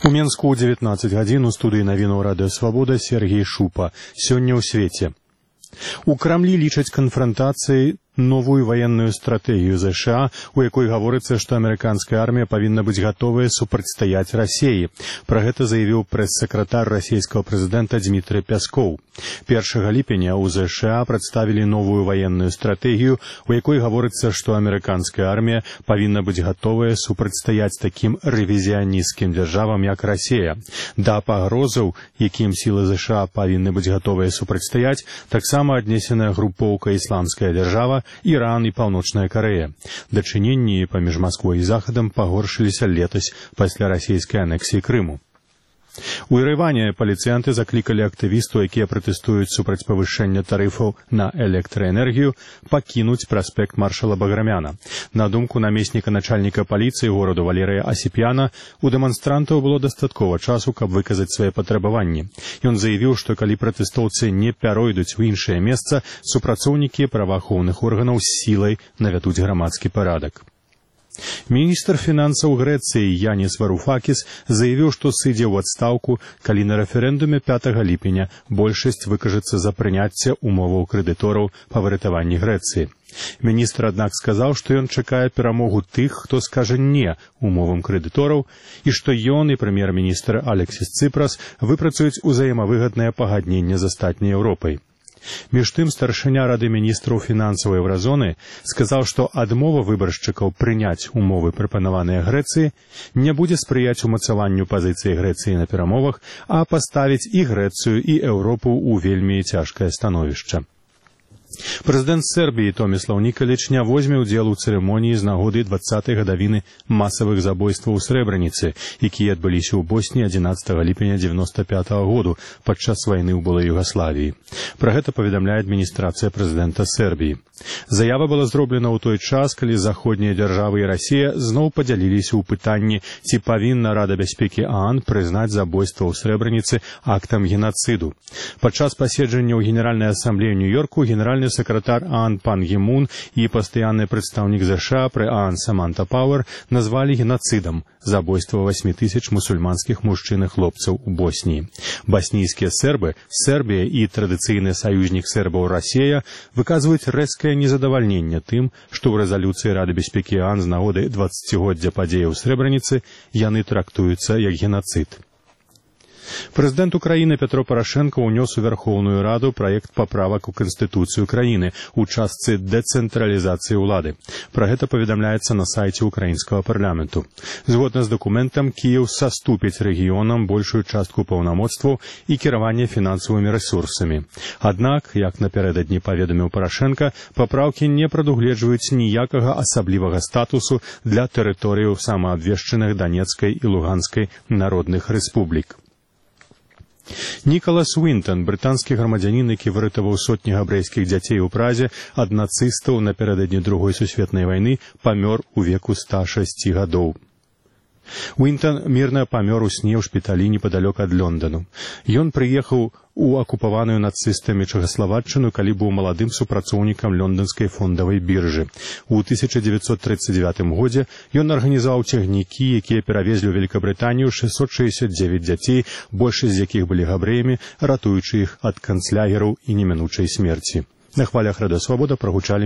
У Менску ў 19 гадзін у студыі навінаў радыё Свабода Сергей Шупа. Сёння ў свеце. У Крамлі лічаць канфрантацыяй новую военную стратегию США, у якой гаворыцца, што амерыканская армія павінна быць гатовая супрацьстаяць Расіі. Пра гэта заявіў прэс-сакратар расійскага прэзідэнта Дмітрый Пяскоў. 1 ліпеня ў США прадставілі новую военную стратегію, у якой гаворыцца, што амерыканская армія павінна быць гатовая супрацьстаяць такім рэвізіянісцкім дзяржавам, як Расія. Да пагрозаў, якім сілы США павінны быць гатовыя супрацьстаяць, таксама аднесеная групоўка «Ісламская дзяржава», Іран і Паўночная Карэя. Дачыненні паміж Масквой і Захадам пагоршыліся летась пасля расійскай анексіі Крыму. У Ерэване паліцыянты заклікалі актывістаў, якія пратэстуюць супраць павышэння тарыфаў на электраэнергію, пакінуць праспект маршала Баграмяна. На думку намесніка начальніка паліцыі гораду Валерыя Асіпяна, у дэманстрантаў было дастаткова часу, каб выказаць свае патрабаванні. Ён заявіў, што калі пратэстоўцы не пяройдуць у іншае месца, супрацоўнікі праваахоўных органаў з сілай навядуць грамадскі парадак. Міністр фінансаў Грэцыі Яніс Варуфакіс заявіў, што сыдзе ў адстаўку, калі на рэферэндуме 5 ліпеня большасць выкажацца за прыняцце умоваў крэдытораў па выратаванні Грэцыі. Міністр, аднак, сказаў, што ён чакае перамогу тых, хто скажа «не» умовам крэдытораў, і што ён і прэм'ер-міністр Алексіс Цыпрас выпрацуюць узаемавыгаднае пагадненне з астатняй Еўропай. Між тым, старшыня Рады міністраў фінансаў Еўразоны сказаў, што адмова выбаршчыкаў прыняць умовы, прапанаваныя Грэцыі, не будзе спрыяць умацаванню пазіцыі Грэцыі на перамовах, а паставіць і Грэцыю, і Еўропу ў вельмі цяжкае становішча. Прэзідэнт Сербіі Томіслаў Нікаліч не возьме ўдзел у цырымоніі з нагоды 20-й гадавіны масавых забойстваў у Срэбраніцы, якія адбыліся ў Босні 11 ліпеня 95 году падчас вайны ў былой Югаславіі. Пра гэта паведамляе адміністрацыя прэзідэнта Сербіі. Заява была зроблена ў той час, калі заходнія дзяржавы і Расія зноў падзяліліся ў пытанні, ці павінна Рада бяспекі ААН прызнаць забойства ў Срэбраніцы актам генацыду. Падчас паседжання ў Генеральнай асамблеі Нью-Йорку генеральны сакратар ААН Пан Гі Мун і пастаянны прадстаўнік ЗША пры ААН Саманта Пауэр назвалі генацыдам забойства 8000 мусульманскіх мужчын і хлопцаў у Босніі. Баснійскія сербы, Сербія і традыцыйны саюзнік сербаў Расія выказваюць рэзкае незадавальненне тым, што ў рэзалюцыі Рады бяспекі ААН з нагоды 20-годдзя падзеяў у Срэбраніцы яны трактуюцца як генацыд. Прэзідэнт Украіны Пятро Парашенко ўнёс у Вярхоўную Раду праект паправак у Канстытуцыю краіны ў частцы дэцэнтралізацыі ўлады. Пра гэта паведамляецца на сайце ўкраінскага парламенту. Згодна з дакументам, Кіеў саступіць рэгіёнам большую частку паўнамоцтваў і кіравання фінансавымі рэсурсамі. Аднак, як напярэдадні паведаміў Парашенка, папраўкі не прадугледжваюць ніякага асаблівага статусу для тэрыторыяў самаабвешчаных Данецкай і Луганскай народных рэспублік. Нікалас Уінтон, брытанскі грамадзянін, які выратаваў сотні габрэйскіх дзяцей у Празе ад нацыстаў напярэдадні Другой сусветнай вайны, памёр у веку 106 гадоў. Уінтон мірна памёр у сне ў шпіталі непадалёк ад Лондану. Ён прыехаў у акупаваную нацыстамі Чэхаславаччыну, калі быў маладым супрацоўнікам лонданскай фондавай біржы. У 1939 годзе ён арганізаваў цягнікі, якія перавезлі ў Великабрытанію 669 дзяцей, большасць з якіх былі габрэямі, ратуючы іх ад канцлягераў і немінучай смерці. На хвалях Радыё Свабода прагучалі